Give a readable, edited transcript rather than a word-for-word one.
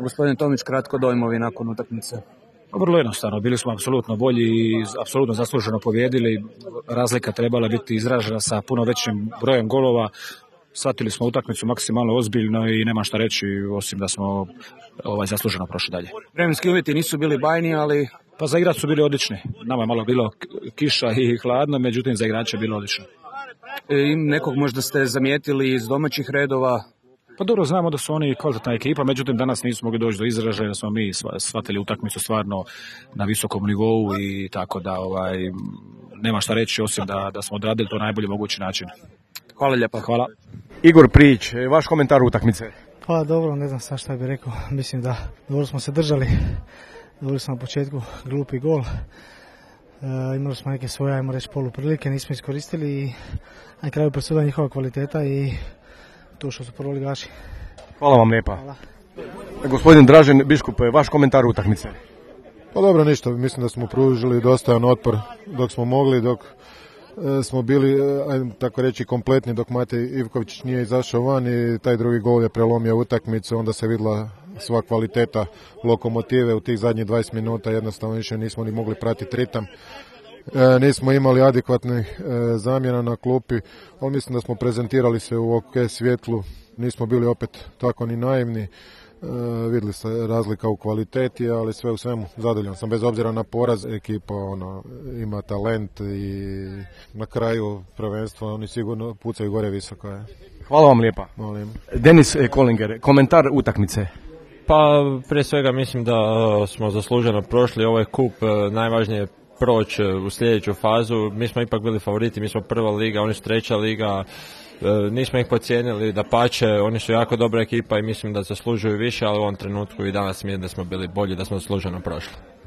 gospodine Tomić, kratko dojmovi nakon utakmice. Vrlo jednostavno, bili smo apsolutno bolji i apsolutno zasluženo pobijedili. Razlika trebala biti izražena sa puno većim brojem golova. Shvatili smo utakmicu maksimalno ozbiljno i nema šta reći osim da smo zasluženo prošli dalje. Vremenski uvjeti nisu bili bajni, ali... Pa za igrač su bili odlični. Nama je malo bilo kiša i hladno, međutim za igrače je bilo odlično. Nekog možda ste zamijetili iz domaćih redova? Pa dobro, znamo da su oni kvalitetna ekipa, međutim danas nismo mogli doći do izražaja, da smo mi shvatili utakmicu stvarno na visokom nivou i tako da nema šta reći osim da smo odradili to na najbolji mogući način. Hvala lijepa. Hvala. Igor Prijić, vaš komentar utakmice? Pa dobro, ne znam šta bih rekao. Mislim da dobro smo se držali. Dobili smo na početku glupi gol. Imali smo neke svoje, ajmo reći, poluprilike, nismo iskoristili i na kraju presuda njihova kvaliteta i to što su prvoligaši. Hvala vam lijepa. Hvala. Gospodin Dražen Biškup, vaš komentar utakmice? Pa dobro, ništa. Mislim da smo pružili dostajan otpor dok smo mogli, dok smo bili, tako reći, kompletni, dok Matej Ivković nije izašao van i taj drugi gol je prelomio utakmicu, onda se vidjela sva kvaliteta Lokomotive u tih zadnjih 20 minuta, jednostavno više nismo ni mogli pratiti ritam. Nismo imali adekvatnih zamjena na klupi, ali mislim da smo prezentirali se u OK svjetlu, nismo bili opet tako ni naivni. Vidjeli se razlika u kvaliteti, ali sve u svemu zadovoljan sam, bez obzira na poraz. Ekipa ima talent i na kraju prvenstva oni sigurno pucaju gore visoko. Hvala vam lijepa. Molim. Denis Kolinger, komentar utakmice? Pa prije svega mislim da smo zasluženo prošli ovaj kup, najvažnije je proći u sljedeću fazu. Mi smo ipak bili favoriti, mi smo prva liga, oni su treća liga. Nismo ih podcijenili, dapače, oni su jako dobra ekipa i mislim da zaslužuju više, ali u ovom trenutku i danas mi je da smo bili bolji, da smo zasluženo prošli.